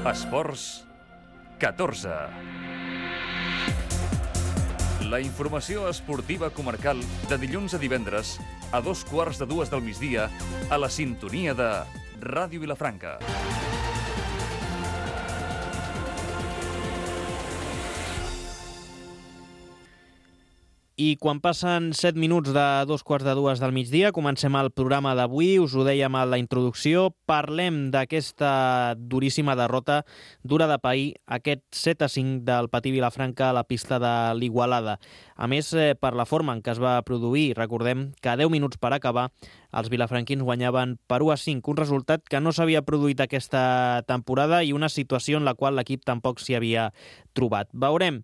Esports 14. La informació esportiva comarcal de dilluns a divendres a 2:15 del migdia a la sintonia de Ràdio Vilafranca. I quan passen 7 minuts de 2:15 del migdia, comencem el programa d'avui. Us ho dèiem a la introducció, parlem d'aquesta duríssima derrota dura de pair, aquest 7-5 del Patí Vilafranca a la pista de l'Igualada. A més, per la forma en què es va produir, recordem que a 10 minuts per acabar, els vilafranquins guanyaven per 1-5, un resultat que no s'havia produït aquesta temporada i una situació en la qual l'equip tampoc s'hi havia trobat. Veurem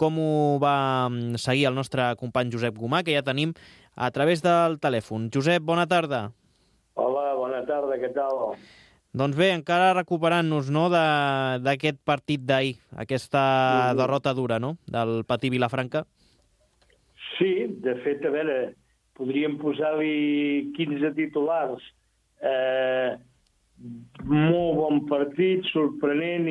com ho va seguir el nostre company Josep Gomà, que ja tenim a través del telèfon. Josep, bona tarda. Hola, bona tarda, què tal? Doncs bé, encara recuperant-nos, no, d'aquest partit d'ahir, aquesta derrota dura, no?, del Patí Vilafranca. Sí, de fet, a veure, podríem posar-li 15 titulars. Molt bon partit, sorprenent,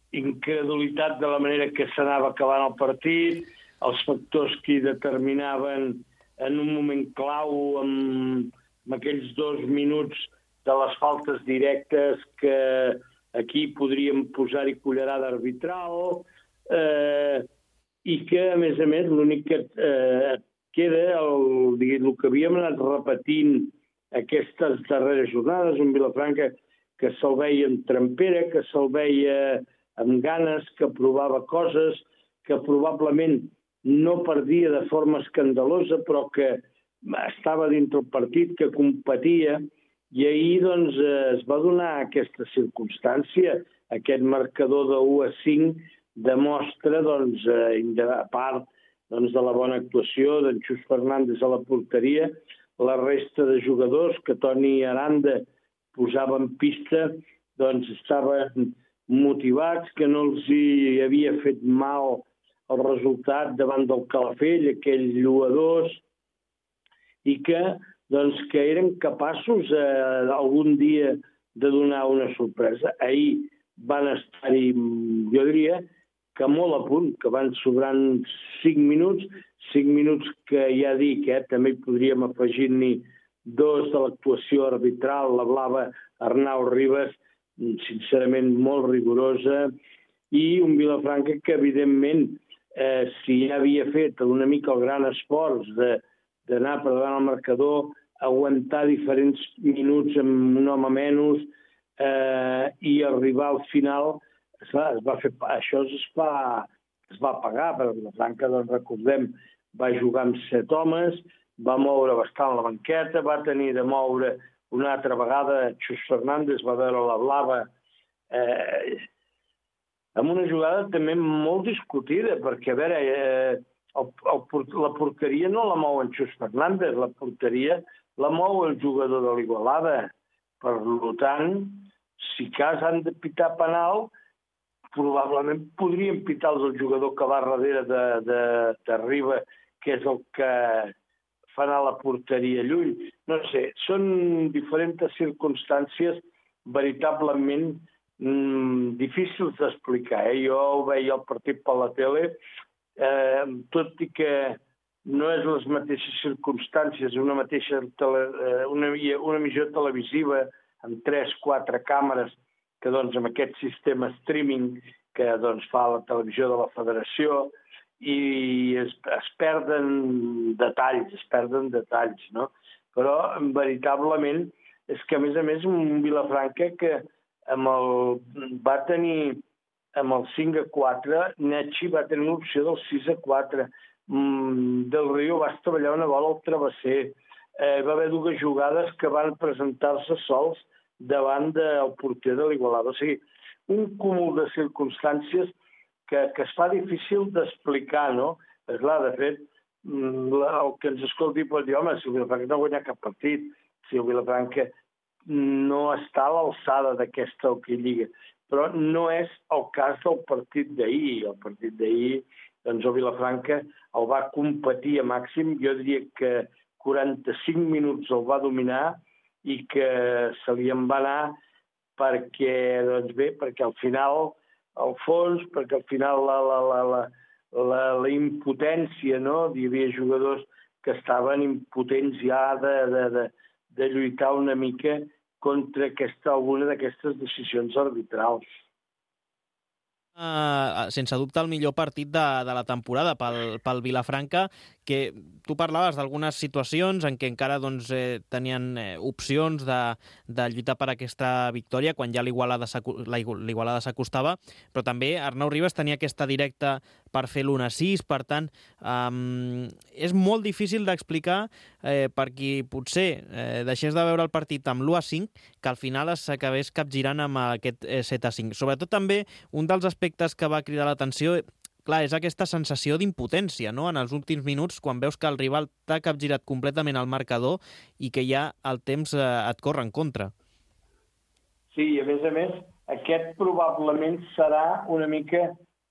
incredulitat de la manera que s'anava acabant el partit, els factors que hi determinaven en un moment clau amb aquells 2 minuts de les faltes directes que aquí podríem posar-hi cullerada arbitral i que, a més, l'únic que queda, el que havíem anat repetint aquestes darreres jornades, un Vilafranca que se'l veia en trempera, que se'l veia amb ganes, que provava coses, que probablement no perdia de forma escandalosa, però que estava dintre el partit, que competia, i ahir doncs, es va donar aquesta circumstància, aquest marcador de 1-5 demostra, doncs, a part doncs, de la bona actuació d'en Xus Fernández a la porteria, la resta de jugadors que Toni Aranda posava en pista, doncs estaven motivats, que no els hi havia fet mal el resultat davant del Calafell, aquell 1-2, i que, doncs, que eren capaços algun dia de donar una sorpresa. Ahir van estar-hi, jo diria, que molt a punt, que van sobrant 5 minuts que ja dic, també hi podríem afegir-n'hi 2 de l'actuació arbitral, la blava Arnau Ribas, sincerament molt rigorosa, i un Vilafranca que, evidentment, si ja havia fet una mica el gran esforç d'anar per davant el marcador, aguantar diferents minuts amb un home menys i arribar al final, això es va pagar, perquè Vilafranca, doncs, recordem, va jugar amb 7 homes, va moure bastant la banqueta, va tenir de moure una altra vegada Xus Fernández, va veure la blava amb una jugada també molt discutida, perquè, a veure, la porteria no la mou en Xus Fernández, la porteria la mou el jugador de l'Igualada. Per tant, si cas han de pitar penal, probablement podrien pitar el jugador que va darrere de Riba, que és el que fa anar la porteria lluny. No sé, són diferents circumstàncies veritablement difícils d'explicar. Jo ho veia el partit per la tele, tot i que no és les mateixes circumstàncies, una emissió televisiva amb 3-4 càmeres que, doncs, amb aquest sistema streaming que, doncs, fa la televisió de la Federació, i es perden detalls, no? Però, veritablement, és que, a més, un Vilafranca que va tenir amb el 5-4, Netxi va tenir l'opció del 6-4, Del Río va estavellar una bola al travesser, va haver 2 jugades que van presentar-se sols davant del porter de l'Igualada. O sigui, un cúmul de circumstàncies que es fa difícil d'explicar, no? És clar, de fet, el que ens escolti pot dir, home, si el Vilafranca no ha guanyat cap partit, si el Vilafranca no està a l'alçada d'aquesta Lliga, però no és el cas del partit d'ahir. El partit d'ahir, doncs, el Vilafranca el va competir a màxim, jo diria que 45 minuts el va dominar i que se li en va anar perquè, doncs bé, perquè al final, al fons, perquè al final la impotència, no? Hi havia jugadors que estaven impotents ja de lluitar una mica contra alguna d'aquestes decisions arbitrals. Sense dubte el millor partit de la temporada pel Vilafranca, que tu parlaves d'algunes situacions en què encara tenien opcions de lluitar per aquesta victòria quan ja l'Igualada s'acostava, però també Arnau Ribas tenia aquesta directa per fer l'1-6, per tant, és molt difícil d'explicar per qui potser deixés de veure el partit amb l'1-5, que al final s'acabés capgirant amb aquest 7-5. Sobretot també un dels aspectes que va cridar l'atenció, clar, és aquesta sensació d'impotència, no?, en els últims minuts, quan veus que el rival t'ha capgirat completament el marcador i que ja el temps et corre en contra. Sí, i a més, aquest probablement serà una mica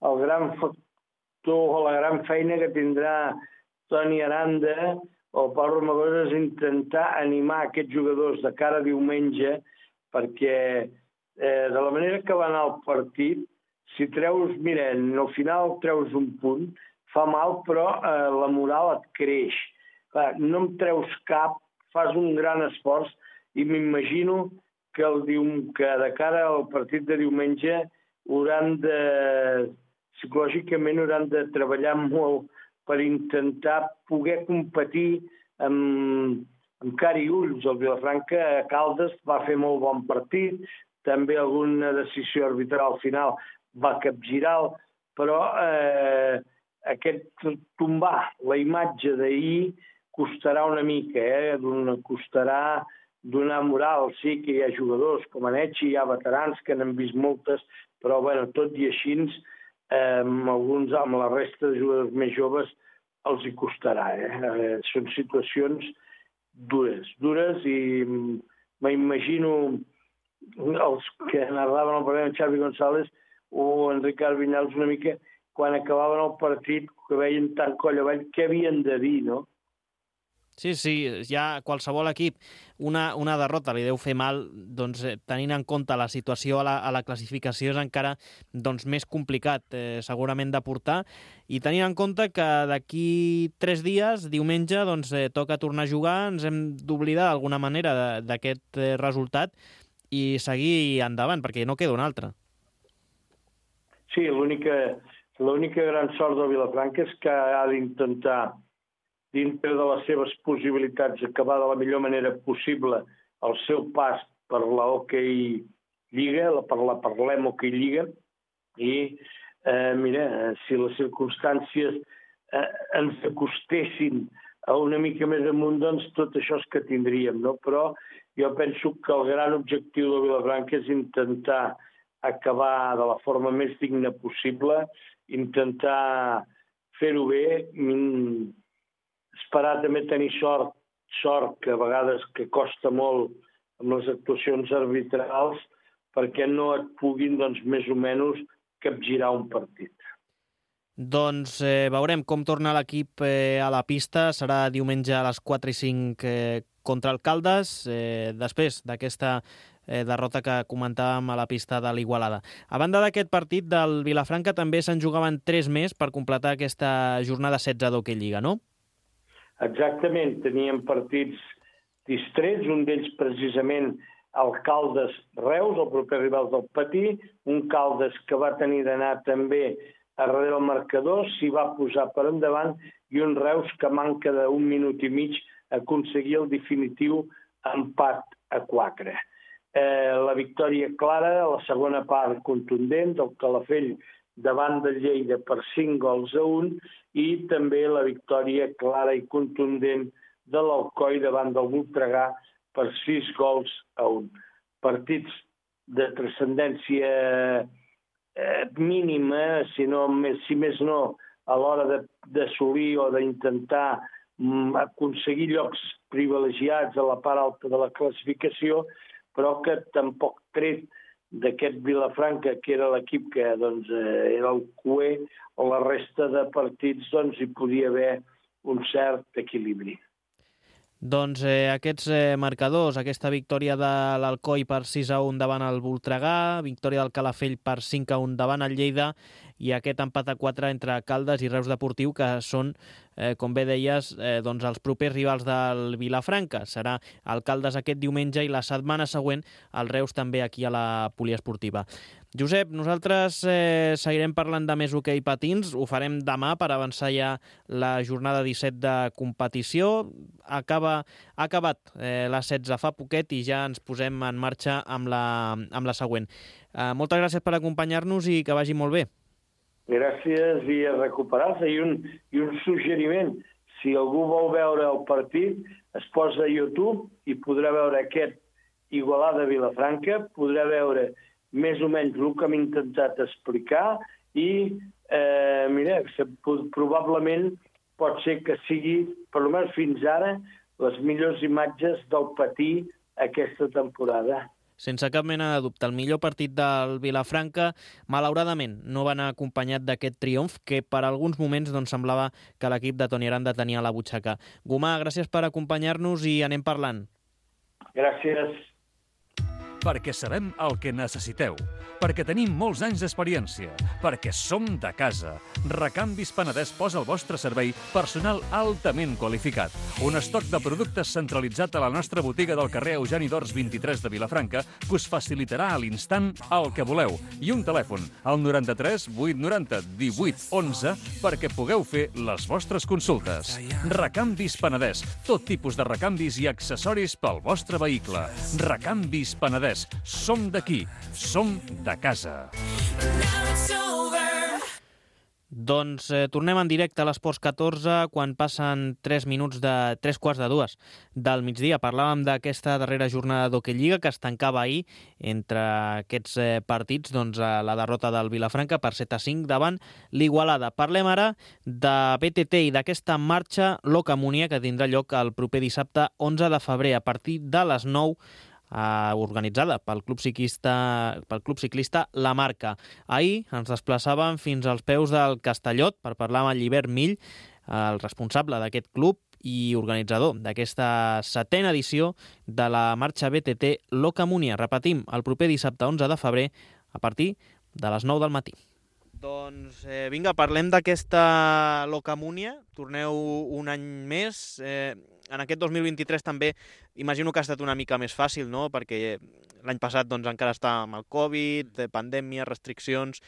el gran factor o la gran feina que tindrà Toni Aranda o Pau Romagosa, és intentar animar aquests jugadors de cara a diumenge, perquè de la manera que va anar el partit, si treus, mira, al final treus un punt, fa mal, però la moral et creix. No em treus cap, fas un gran esforç, i m'imagino que de cara al partit de diumenge psicològicament hauran de treballar molt per intentar poder competir amb cara i ulls. El Vilafranca a Caldes va fer molt bon partit, també alguna decisió arbitral al final va capgirar, però aquest tombar la imatge d'ahir costarà una mica, costarà donar moral. Sí que hi ha jugadors com Anechi, hi ha veterans que n'han vist moltes, però tot i així, amb la resta de jugadors més joves els hi costarà. Són situacions dures i m'imagino els que narraven el partit, Xavi González o en Ricard Vinyals, una mica, quan acabaven el partit, que veien tant coll avall, què havien de dir, no? Sí, ja qualsevol equip una derrota li deu fer mal, tenint en compte la situació a la classificació és encara més complicat segurament de portar, i tenint en compte que d'aquí 3 dies, diumenge, toca tornar a jugar, ens hem d'oblidar d'alguna manera d'aquest resultat i seguir endavant, perquè no queda un altre. Sí, l'única gran sort del Vilafranca és que ha d'intentar, dintre de les seves possibilitats, acabar de la millor manera possible el seu pas per la Hockey Lliga, per l'Hockey Lliga, i mira, si les circumstàncies ens acostessin a una mica més amunt, tot això és que tindríem, no? Però jo penso que el gran objectiu del Vilafranca és intentar acabar de la forma més digna possible, intentar fer-ho bé, esperar també tenir sort que a vegades que costa molt amb les actuacions arbitrals, perquè no et puguin, més o menys, capgirar un partit. Veurem com torna l'equip a la pista. Serà diumenge a les 4:05 contra el Caldes, després d'aquesta derrota que comentàvem a la pista de l'Igualada. A banda d'aquest partit del Vilafranca, també se'n jugaven 3 més per completar aquesta jornada 16 d'Hockey Lliga, no? Exactament, teníem partits distrets, un d'ells precisament el Caldes-Reus, el proper rival del Patí, un Caldes que va tenir d'anar també a darrere el marcador, s'hi va posar per endavant, i un Reus que manca d'1 minut i mig aconseguir el definitiu empat a 4. La victòria clara, la segona part contundent del Calafell davant del Lleida per 5-1, i també la victòria clara i contundent de l'Alcoi davant del Voltregà per 6-1. Partits de transcendència mínima, si més no, a l'hora d'assolir o d'intentar aconseguir llocs privilegiats a la part alta de la classificació, però que tampoc tret d'aquest Vilafranca, que era l'equip que era el cuer, o la resta de partits hi podia haver un cert equilibri. Doncs aquests marcadors, aquesta victòria de l'Alcoi per 6-1 davant el Voltregà, victòria del Calafell per 5-1 davant el Lleida i aquest empat a 4 entre Caldes i Reus Deportiu, que són, com bé deies, doncs els propers rivals del Vilafranca. Serà el Caldes aquest diumenge i la setmana següent el Reus també aquí a la poliesportiva. Josep, nosaltres seguirem parlant de més hoquei patins, ho farem demà per avançar ja la jornada 17 de competició. Ha acabat la 16 fa poquet i ja ens posem en marxa amb la següent. Moltes gràcies per acompanyar-nos i que vagi molt bé. Gràcies i a recuperar-se. I un suggeriment, si algú vol veure el partit, es posa a YouTube i podrà veure aquest Igualada-Vilafranca, podrà veure més o menys el que hem intentat explicar i probablement pot ser que sigui, per almenys fins ara, les millors imatges del patí aquesta temporada. Sense cap mena de dubte, el millor partit del Vilafranca, malauradament, no va anar acompanyat d'aquest triomf que per alguns moments semblava que l'equip de Toni Aranda tenia a la butxaca. Gomà, gràcies per acompanyar-nos i anem parlant. Gràcies. Perquè sabem el que necessiteu, perquè tenim molts anys d'experiència, perquè som de casa. Recanvis Penedès posa al vostre servei personal altament qualificat. Un estoc de productes centralitzat a la nostra botiga del carrer Eugeni d'Ors 23 de Vilafranca que us facilitarà a l'instant el que voleu. I un telèfon, al 93 890 18 11, perquè pugueu fer les vostres consultes. Recanvis Penedès, tot tipus de recanvis i accessoris pel vostre vehicle. Recanvis Penedès. Som d'aquí, som de casa. Doncs tornem en directe a l'Esports 14 quan passen 3 quarts de 2 del migdia. Parlàvem d'aquesta darrera jornada d'Hockey Lliga que es tancava ahir entre aquests partits, la derrota del Vilafranca per 7-5 davant l'Igualada. Parlem ara de BTT i d'aquesta marxa Locamunia que tindrà lloc el proper dissabte 11 de febrer a partir de les 9 organitzada pel Club Ciclista La Marca. Ahir ens desplaçàvem fins als peus del Castellot per parlar amb el Llibert Mill, el responsable d'aquest club i organitzador d'aquesta 7a edició de la marxa BTT Locamunia. Repetim, el proper dissabte 11 de febrer a partir de les 9 del matí. Doncs vinga, parlem d'aquesta Locamunia. Torneu un any més. En aquest 2023 també imagino que ha estat una mica més fàcil, no? Perquè l'any passat encara està amb el Covid, pandèmia, restriccions,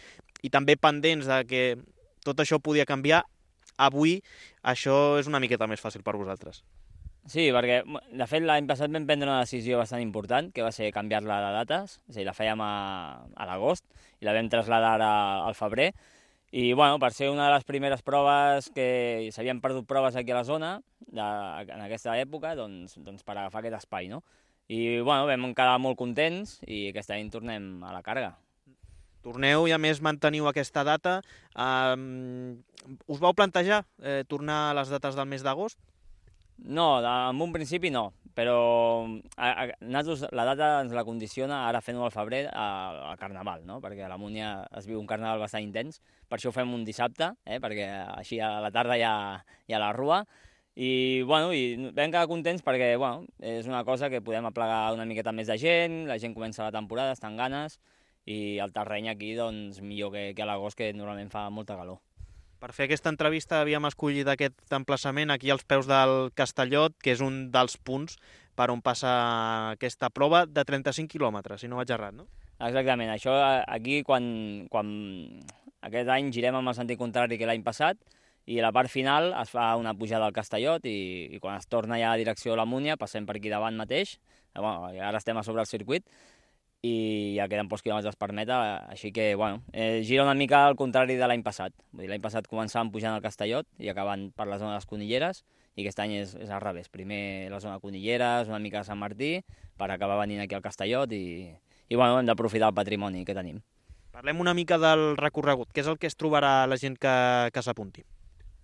i també pendents de que tot això podia canviar. Avui això és una miqueta més fàcil per vosaltres. Sí, perquè de fet l'any passat vam prendre una decisió bastant important, que va ser canviar-la de dates, és a dir, la fèiem a l'agost i la vam traslladar al febrer. I per ser una de les primeres proves que s'havien perdut proves aquí a la zona en aquesta època, doncs per agafar aquest espai, no? I vam quedar molt contents i aquest any tornem a la càrrega. Torneu i a més manteniu aquesta data. Us vau plantejar tornar a les dates del mes d'agost? No, en un principi no, però nosaltres la data ens la condiciona ara fent-ho al febrer al Carnaval, no? Perquè a la Múnia es viu un Carnaval bastant intens, per això ho fem un dissabte, perquè així a la tarda hi ha la rua, i vam quedar contents perquè és una cosa que podem aplegar una miqueta més de gent, la gent comença la temporada, està amb ganes, i el terreny aquí millor que a l'agost, que normalment fa molta calor. Per fer aquesta entrevista havíem escollit aquest emplaçament aquí als peus del Castellot, que és un dels punts per on passa aquesta prova de 35 quilòmetres, si no vaig errat, no? Exactament. Això aquí, quan aquest any girem amb el sentit contrari que l'any passat, i a la part final es fa una pujada al Castellot i quan es torna ja a direcció a la Múnia passem per aquí davant mateix, ara estem a sobre el circuit, i ja queden pocs quilòmetres per meta, així que gira una mica al contrari de l'any passat. L'any passat començàvem pujant al Castellot i acabant per la zona de les Conilleres, i aquest any és al revés. Primer la zona de Conilleres, una mica de Sant Martí, per acabar venint aquí al Castellot i hem d'aprofitar el patrimoni que tenim. Parlem una mica del recorregut. Què és el que es trobarà la gent que s'apunti?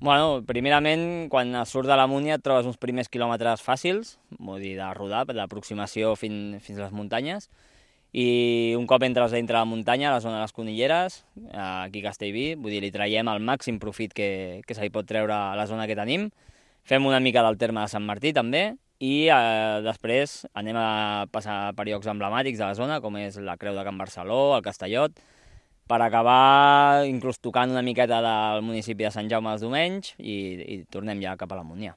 Primerament, quan es surt de la Múnia et trobes uns primers quilòmetres fàcils, de rodar, d'aproximació fins a les muntanyes, i un cop entres dintre la muntanya, a la zona de les Conilleres, aquí a Castellví, li traiem el màxim profit que se li pot treure a la zona que tenim. Fem una mica del terme de Sant Martí també, i després anem a passar per llocs emblemàtics de la zona, com és la Creu de Can Barceló, el Castellot, per acabar inclús tocant una miqueta del municipi de Sant Jaume dels Domenys i tornem ja cap a la Múnia.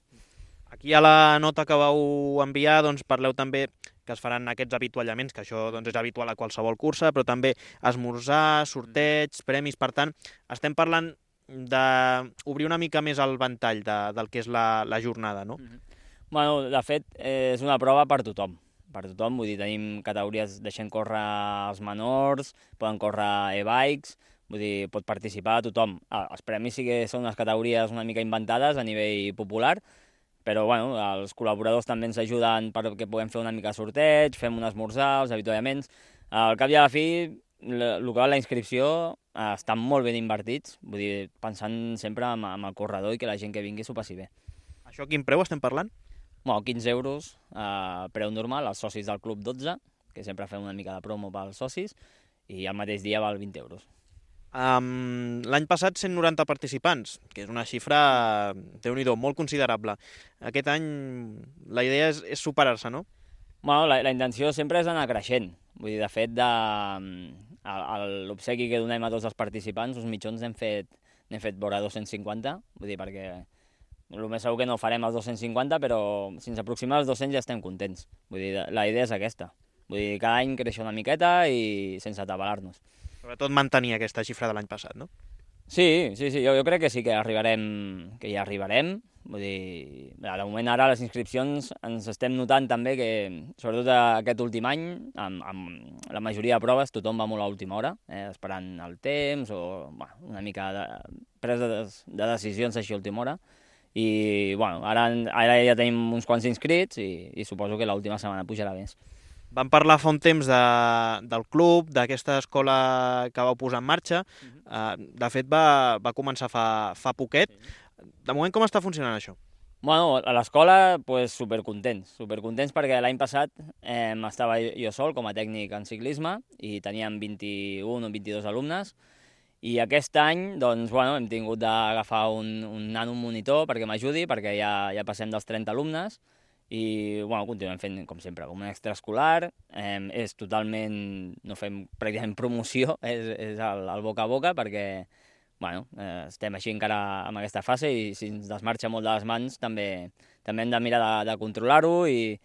Aquí a la nota que vau enviar doncs, parleu també que es faran aquests avituallaments, que això doncs, és habitual a qualsevol cursa, però també esmorzar, sorteig, premis. Per tant, estem parlant d'obrir una mica més el ventall del que és la jornada, no? Bueno, de fet, és una prova per tothom. Per tothom, vull dir, tenim categories, deixem córrer els menors, poden córrer e-bikes, vull dir, pot participar tothom. Els premis sí que són unes categories una mica inventades a nivell popular, però bueno, els col·laboradors també ens ajuden perquè puguem fer una mica de sorteig, fem un esmorzar, els avituallaments. Al cap i a la fi, el que va la inscripció estan molt ben invertits, vull dir, pensant sempre en el corredor i que la gent que vingui s'ho passi bé. Això quin preu estem parlant? Bueno, 15 euros, preu normal, els socis del club 12, que sempre fem una mica de promo pels socis, i al mateix dia val 20 euros. L'any passat 190 participants, que és una xifra, déu-n'hi-do, molt considerable. Aquest any la idea és superar-se, no? Bueno, la intenció sempre és anar creixent. Vull dir, de fet, l'obsequi que donem a tots els participants, uns mitjons n'hem fet vora 250, vull dir, perquè el més segur que no farem els 250, però si ens aproximem als 200 ja estem contents. Vull dir, la idea és aquesta. Vull dir, cada any créixer una miqueta i sense atabalar-nos. Sobretot mantenir aquesta xifra de l'any passat, no? Sí, jo crec que sí que ja arribarem. Vull dir, de moment ara les inscripcions ens estem notant també que, sobretot aquest últim any, amb la majoria de proves tothom va molt a última hora, esperant el temps o una mica de presa de decisions així a última hora. I bueno, ara ja tenim uns quants inscrits i suposo que l'última setmana pujarà més. Vam parlar fa un temps del club, d'aquesta escola que vau posar en marxa. De fet, va començar fa poquet. De moment, com està funcionant això? Bueno, a l'escola, supercontents perquè l'any passat estava jo sol com a tècnic en ciclisme i teníem 21 o 22 alumnes. I aquest any, doncs, bueno, hem tingut d'agafar un nano monitor perquè m'ajudi, perquè ja passem dels 30 alumnes i, bueno, continuem fent, com sempre, com un extraescolar. És totalment, no fem pràcticament promoció, és el boca a boca, perquè, bueno, estem així encara en aquesta fase i si ens desmarxa molt de les mans també hem de mirar de controlar-ho i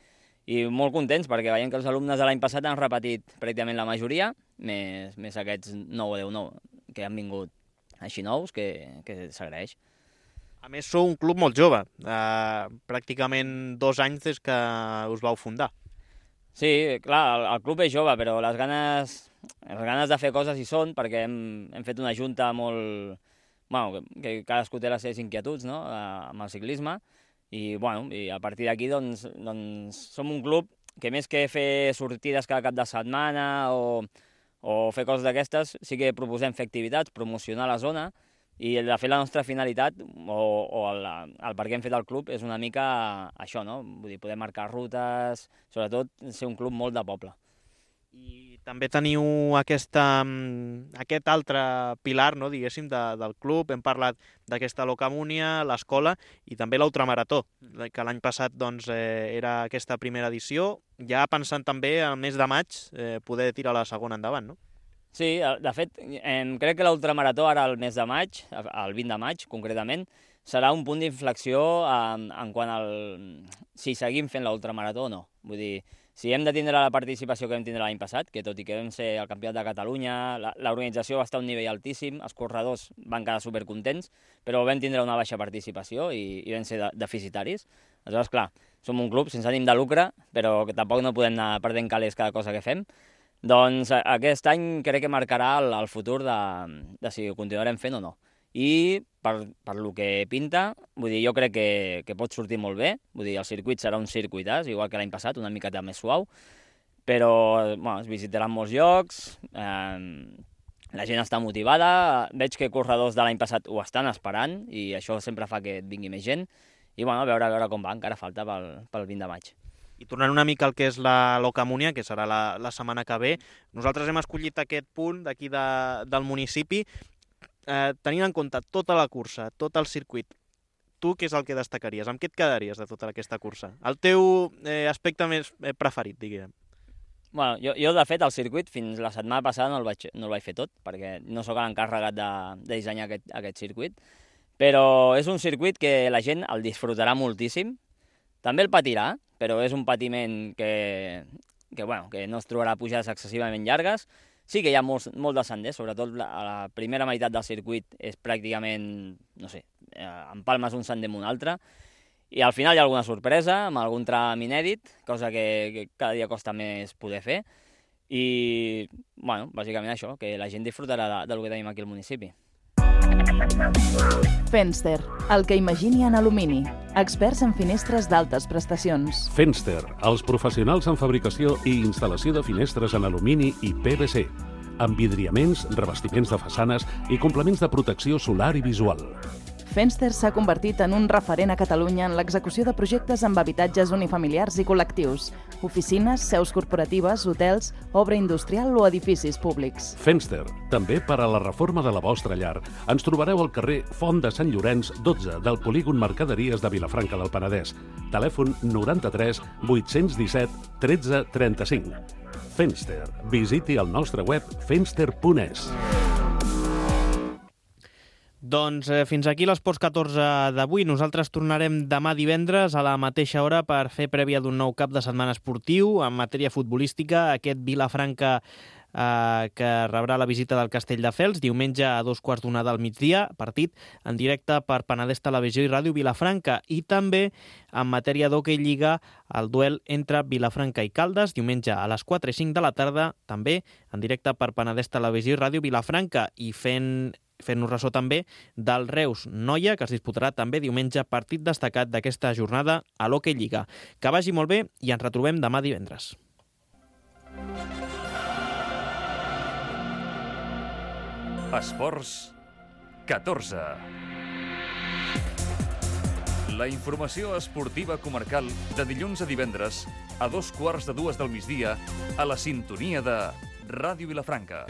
molt contents perquè veiem que els alumnes de l'any passat han repetit pràcticament la majoria, més aquests 9 o 10 que han vingut així nous, que s'agraeix. A més, sou un club molt jove, pràcticament 2 anys des que us vau fundar. Sí, clar, el club és jove, però les ganes de fer coses hi són, perquè hem fet una junta molt... Bueno, que cadascú té les seves inquietuds, no?, amb el ciclisme, i a partir d'aquí doncs, som un club que més que fer sortides cada cap de setmana o fer coses d'aquestes, sí que proposem fer activitats, promocionar la zona, i de fet la nostra finalitat o el per què hem fet el club és una mica això, no? Vull dir, poder marcar rutes, sobretot ser un club molt de poble. I també teniu aquest altre pilar, no, diguéssim, del club. Hem parlat d'aquesta Locamúnia, l'escola i també l'ultramarató, que l'any passat doncs, era aquesta primera edició, ja pensant també al mes de maig poder tirar la segona endavant, no? Sí, de fet, crec que l'ultramarató ara el mes de maig, el 20 de maig concretament, serà un punt d'inflexió en quant si seguim fent l'ultramarató o no. Vull dir, si hem de tindre la participació que vam tindre l'any passat, que tot i que vam ser el campionat de Catalunya, l'organització va estar a un nivell altíssim, els corredors van quedar supercontents, però vam tindre una baixa participació i vam ser deficitaris. Aleshores, clar, som un club sense ànim de lucre, però que tampoc no podem anar perdent calés cada cosa que fem. Doncs aquest any crec que marcarà el futur de si ho continuarem fent o no. I per lo que pinta, vull dir, jo crec que pot sortir molt bé. Vull dir, el circuit serà un circuitàs, igual que l'any passat, una miqueta més suau, però es visitaran molts llocs, la gent està motivada, veig que corredors de l'any passat ho estan esperant i això sempre fa que et vingui més gent i a veure com va, encara falta pel 20 de maig. I tornant una mica al que és la Locamúnia, que serà la setmana que ve, nosaltres hem escollit aquest punt d'aquí del municipi, tenint en compte tota la cursa, tot el circuit. tu què és el que destacaries? Amb què et quedaries de tota aquesta cursa? El teu aspecte més preferit, diguem. Bueno, jo, de fet, el circuit fins la setmana passada no el vaig fer tot, perquè no sóc l'encarregat de dissenyar aquest circuit, però és un circuit que la gent el disfrutarà moltíssim. També el patirà, però és un patiment que no es trobarà pujades excessivament llargues. Sí que hi ha molt de senders, sobretot a la primera meitat del circuit és pràcticament, no sé, empalmes un sender amb un altre, i al final hi ha alguna sorpresa, amb algun tram inèdit, cosa que cada dia costa més poder fer, i, bueno, bàsicament això, que la gent disfrutarà del que tenim aquí al municipi. Fenster, el que imagini en alumini. Experts en finestres d'altes prestacions. Fenster, els professionals en fabricació i instal·lació de finestres en alumini i PVC, amb vidriaments, revestiments de façanes i complements de protecció solar i visual. Fenster s'ha convertit en un referent a Catalunya en l'execució de projectes amb habitatges unifamiliars i col·lectius, oficines, seus corporatives, hotels, obra industrial o edificis públics. Fenster, també per a la reforma de la vostra llar. Ens trobareu al carrer Font de Sant Llorenç 12 del polígon Mercaderies de Vilafranca del Penedès. Telèfon 93 817 13 35. Fenster. Visiti el nostre web fenster.es. Doncs fins aquí l'Esports 14 d'avui. Nosaltres tornarem demà divendres a la mateixa hora per fer prèvia d'un nou cap de setmana esportiu en matèria futbolística. Aquest Vilafranca que rebrà la visita del Castelldefels diumenge a 2:15 del migdia, partit en directe per Penedès Televisió i Ràdio Vilafranca, i també en matèria d'hoquei lliga el duel entre Vilafranca i Caldes diumenge a les 4:05 de la tarda, també en directe per Penedès Televisió i Ràdio Vilafranca, i fent-nos ressò també del Reus-Noia, que es disputarà també diumenge, partit destacat d'aquesta jornada a l'Hockey Lliga. Que vagi molt bé i ens retrobem demà divendres. Esports 14. La informació esportiva comarcal de dilluns a divendres a 2:15 del migdia a la sintonia de Ràdio Vilafranca.